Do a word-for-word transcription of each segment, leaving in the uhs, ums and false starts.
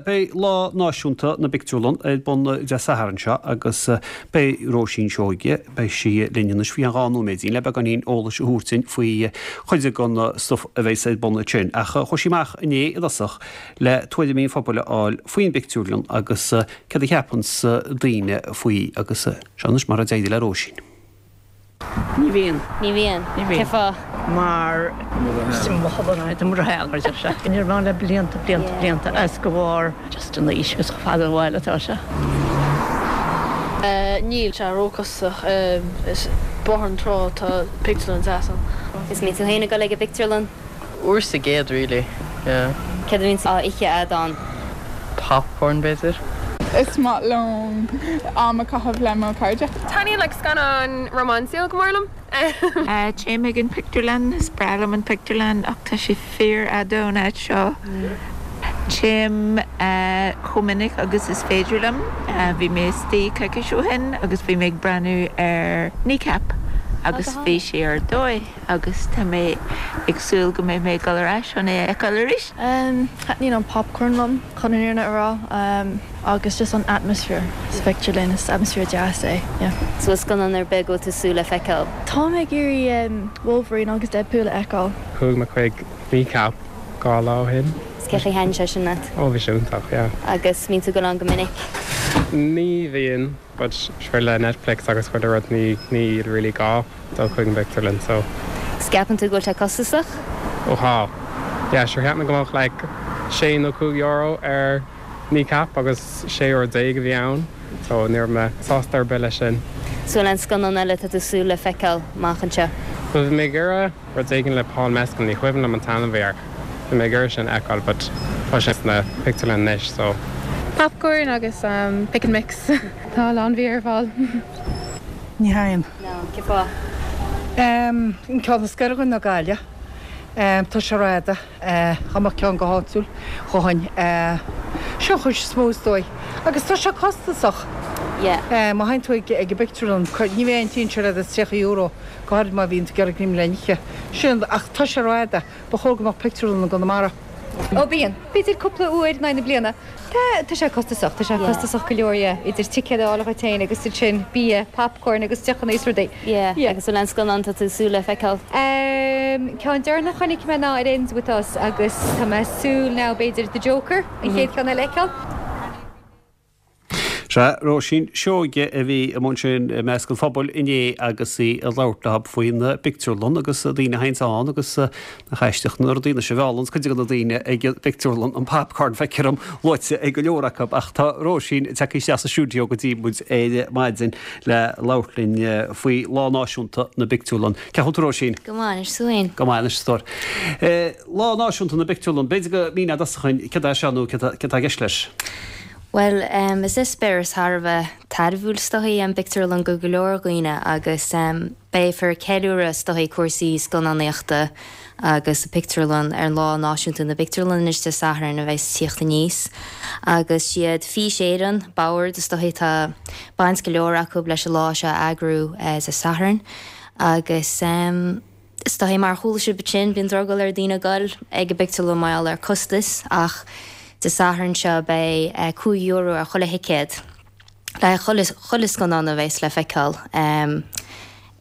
Beidh Lá Náisiúnta na bPictiúrlann ar bun Dé Sathairn seo agus beidh Róisín Seoige, beidh sí linn anois faoi dhá nóiméidín le beagáinín eolais a thabhairt dúinn faoi chuid den stuif a bheas ar bun ansin. Ach chuaigh sí amach inné i dtosach le tuairimí an phobail a fháil faoin bpictiúrlann agus cad a cheapanns daoine faoi agus seo anois mar a d'éirigh le Róisín. Ní bhíonn. Ní bhíonn. Ní bhíonn. Cén fáth? Mar sé Ní le blianta blianta blianta as go bhar just an aois agus fada bhile atá sé. Níl sé róchostasach is Bóthar na Trá tá pictiúrlann deas ann. Is mbíonn tú féin ag dul ag an bpictiúrlann? Uair sa gcéad really. Yeah. Céard a bhíonn á ithe agat ann? Popcorn b'fhéidir. Is maith liom am a chaitheamh le mo chairde. Taitníonn like scannán rómánsúil go mór liom. Téim ag an pictiúrlann is breá liom an pictiúrlann ach tá sé fíorfhada ón áit seo. Téim chomh minic agus is féidir liom, bhí mé istigh coicís ó shin agus bhí mé ag breathnú ar Kneecap agus bhí sé ar dóigh agus tá mé ag súil go mbeidh mé ag dul ar ais chun é a fheiceáil arís. Taitníonn an popcorn liom chun an fhírinne a rá agus just an atmosphere sa phictiúrlann is atmosphere deas é. Yeah. So scannán ar bith go tú súil le feiceáil. Tá mé ag iarraidh Wolverine agus Deadpool a fheiceáil. Chuaigh mé chuig Kneecap dhá lá ó shin. Is cén chaoi ar thaitin sé sin leat? Ó bhí sé iontach, yeah. Agus mbíonn tú ag dul ann go minic? Ní bhíonn, but sure le Netflix agus chuile rud ní ní really gá dul chuig an bpictiúrlann so. Is ceapann tú go bhfuil sé costasach? Ó tá. Yeah, sure cheap mé go mbeadh like sé nó cúig euro ar Kneecap agus sé euro déag a bhí ann, so ní raibh mé sásta ar bith leis sin. So an scannán eile tá tú súil le feiceáil amach anseo. Well bhí mé ag iarraidh rud éigin le Paul Mescal ní cuimhin liom an t-ainm a bhí air. Bhí mé ag iarraidh sin a fheiceáil, but tá sé sna pictiúrlann anois so. Popcorn agus um, pick and mix. Tá lán bia ar fáil. Ní théim. No, cén fáth? Um, an ceann is gaire dúinn ná Gaillimh. Um, tá sé rófhada dá mbeadh ceann go háitiúil dhúinn seo chuid is mó is dóigh. Agus tá sé costasach. Yeah. Má théann tú ag ag an bpictiúrlann ní bheidh an sé le tríocha euro go háirid má bhíonn tú ag iarraidh le n-ithe. Sin ach tá sé rófhada ba chóir go mbeadh pictiúrlann i gConamara. Ó bíonn, b'fhéidir cúpla uair na bliana. Tá tá sé costasach, tá sé costasach go leor idir ticéad a fháil féin agus sin bia, popcorn agus deochanna is rudaí. Yeah, agus an scannán tá tú súil le feiceáil. Um, ceann deireanach a chonaic mé ná It Ends With Us agus tá mé súil ná b'fhéidir The Joker an chéad cheann eile feiceáil. Se Róisín Seoige a bhí amuigh ansin i measc an phobail inné agus í ag labhairt leo faoin bpictiúrlann agus daoine a théann ann agus nach aisteach na daoine se bheálan cuid de na daoine ag pictiúrlann an popcorn feictear dom luaite ag go leor acu ach tá Róisín tagtha isteach sa stiúideo go dtí muid ar maidin le labhairt linn faoi Lá Náisiúnta na bPictiúrlann. Cén chaoi Róisín? Go maith súin. Go maith stór. Lá Náisiúnta na bPictiúrlann, b'fhéidir go míneofá dúinn cad é seo nó cad atá i gceist leis. Well, um, is eispéireas thar a bheith tairbhiúil is dóigh an bpictiúrlann go go leor daoine agus um, beifear ceiliúradh is dóigh cúrsaí scannánaíochta agus a pictiúrlann ar Lá Náisiúnta na bPictiúrlann anois Dé Sathairn a bheas ag tíocht aníos. Agus siad Fís Éireann Bord is dóigh tá baint go leor acu leis an lá seo eagrú uh, Dé Sathairn agus um, is dóigh mar chuala sibh sin bíonn drogall ar daoine dul ag an bpictiúrlann mar gheall ar costas ach Dé Sathairn seo beidh uh, cúig euro ar chuile thicéad le chuile scannán a bheas le feiceáil um,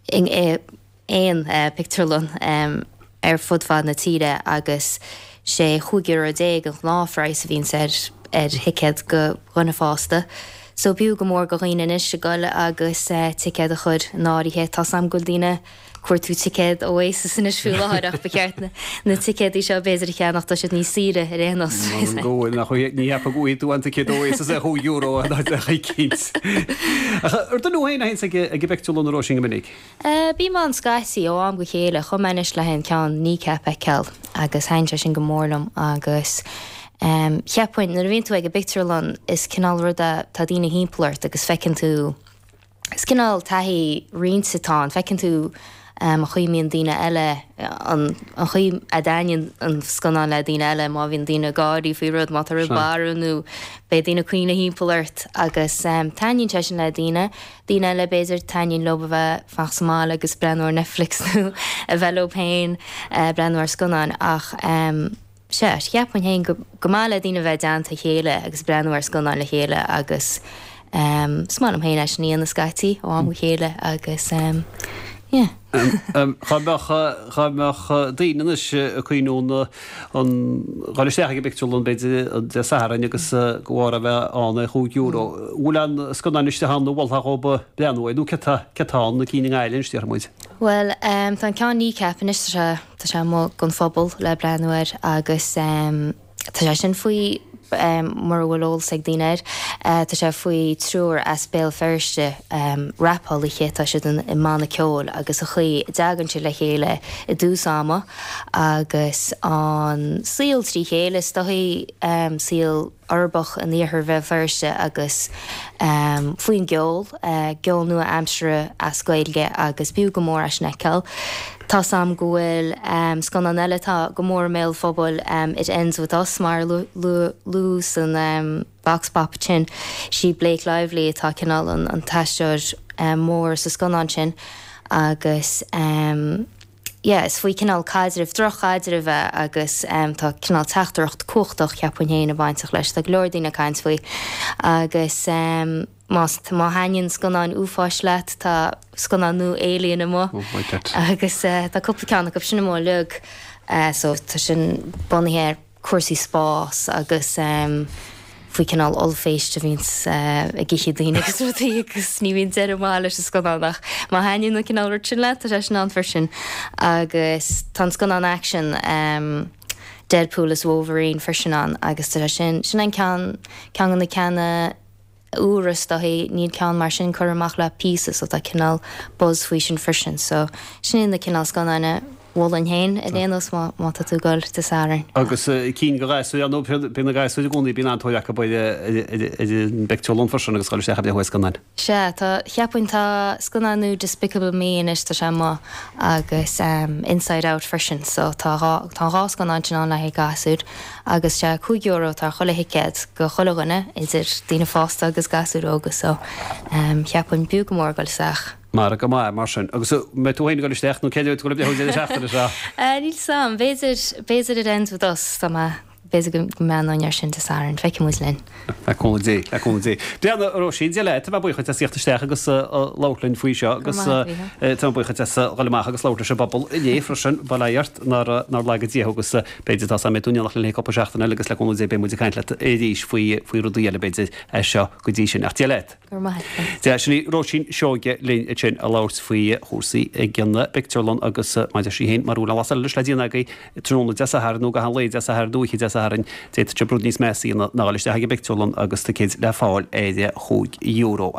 in aon uh, pictiúrlann um, ar fud fad na tíre agus sé chúig euro déag an gnáthphraghas a bhíonn ar ar thicéad go dhuine fásta. So b'fhiú go mór go dhaoine anois a ghoil agus uh, ticéad a chur in áirithe tá sam go daoine cuartú ticéad Oasis anois faoi láthair ach ba cheart na, na ticéadaí seo b'fhéidir a cheannach tá siad níos saoire ar aon nós. Go nach ní hepa go tú an ticéad Oasis a chúig euro cínt. Ar do féin a ag ag an bpictiúrlann a Róisín go minic? Uh, Bím ann scaití ó am go chéile chuaigh mé anois le an ceann Kneecap a fheiceáil agus thaitin sé sin go mór liom agus um, cheapfainn nuair a bhíonn tú ag an bpictiúrlann is cineál rud tá daoine timpeall ort agus feiceann tú is cineál taithí roinnte atá ann feiceann tú um, an chaoi a mbíonn daoine eile an an chaoi a dtaitníonn an scannán le daoine eile má bhíonn daoine gáirí faoi rud má tá rud barr nó beidh daoine ag caoineadh timpeall ort agus um, taitníonn sé sin le daoine daoine eile b'fhéidir taitníonn leo a bheith fanacht sa mbaile agus breathnú ar Netflix nó a bheith leo féin uh, breathnú ar scannán ach um, Sea, cheapfainn féin go go maith le daoine bheith i dteannta a chéile agus breathnú ar scannán le chéile agus is maith liom féin é sin a dhéanamh scaití ó am go chéile agus yeah. Dhá mbeadh dhá mbeadh daoine anois ag cuimhniú an dhul isteach ag an bpictiúrlann b'fhéidir Dé Sathairn agus go bhfára bheith ann ar chúig euro. Bhfuil aon scannán istigh ann a mholfá dhóibh breathnú air nó cé tá cé tá ann na cinn i nGaillimh anois déarfaidh muid? Bhuel tá an ceann Kneecap anois tá sé Tá sé amuigh don phobal le breathnú air agus tá sé sin faoi, mura bhfuil eolas ag daoine air, tá sé faoi triúr as Béal Feirste, rapálaithe, tá siad i mbanna ceoil agus an chaoi a dtagann siad le chéile i dtús ama agus an saol trí chéile, is dóichí, saol uirbeach in iarthar Bhéal Feirste agus faoin gceol, ceol nua-aimseartha as Gaeilge agus b'fhiú go mór é sin a fheiceáil. Tá's a'm go bhfuil scannán eile atá go mór i mbéal an phobail, It Ends With Us, mar a luadh san Vox Pop sin. Sí Blake Lively atá cineál an t-aisteoir mór sa scannán sin agus yeah is faoi cineál caidrimh, droch-chaidrimh é agus tá cineál teachtaireacht cumhachtach cheapfainn féin ag bainteach leis. Tá go leor daoine ag caint faoi agus más má thaitníonn scannáin uafáis leat tá scannán nua Alien amuigh agus tá cúpla ceann acu sin amuigh uilig so tá sin bunaithe ar cúrsaí spáis agus faoi cineál ollphéist a bhíonns ag ithe daoine agus rudaí agus ní bhíonn deireadh maith leis an scannán ach má thaitníonn an cineál rud sin leat tá sé sin ann freisin agus tá an scannán aicsin Deadpool is Wolverine freisin ann agus tá sé sin, sin an ceann, ceann de na ceanna úra is dóichí, níl ceann mar sin curtha amach le píosa so tá cineál buzz faoi sin freisin so sin iad na cineál scannáin a mholfainn féin ar aon nós má má tá tú ag goil Dé Sathairn. Agus cinn do ghasúir ar ndóigh bíonn na gasúir i gcónaí bíonn an-tóir acu ar ar an bpictiúrlann freisin agus dhul isteach ag breathnú ar scannáin. Sea, tá, cheapfainn tá scannán nua Despicable Me anois tá sé amuigh agus Inside Out freisin so tá dhá tá an dhá scannán sin ann le haghaidh gasúir. Agus sea, cúig euro atá ar chuile thicéad go chuile dhuine, idir daoine fásta agus gasúir óga, so cheapfainn b'fhiú go mór dul isteach. Margadh maith, mar sin. Agus an mbeidh tú féin ag dul isteach nó cé a bheidh tú ag dul ag breathnú an deireadh seachtaine seo? Níl 'fhios a'm. B'fhéidir, b'fhéidir It Ends With Us, tá mé, b'fhéidir go mbreathnóinn air sin Dé Sathairn. Feicfidh muid linn. Le cúnamh Dé, le cúnamh Dé. Bhuel, a Róisín, Dia leat, tá mé buíoch duit as theacht isteach agus labhairt linn faoi seo agus tá mé buíoch duit as dhul amach agus labhairt leis an bpobal inné freisin, bail ó Dhia ort, nár nár laga Dia thú agus b'fhéidir tá 's a'm beidh tú in éineacht linn cúpla seachtain eile agus le cúnamh Dé beidh muid ag caint leat arís faoi faoi rudaí eile b'fhéidir as seo go dtí sin. Ach Dia leat. Go raibh maith agat. Dia, sin í Róisín Seoige linn ansin ag labhairt faoi chúrsaí ag an bpictiúrlann agus mar a deir sí féin, mura bhfuil aon lasadh eile leis le déanamh agaibh tráthnóna Dé Sathairn nó i gcaitheamh an lae Dé Sathairn nó oíche Dé Sathairn, d'fhéadfadh sibh rud níos measa a dhéanamh ná dul isteach ag an bpictiúrlann agus ticéid le fáil ar chúig euro.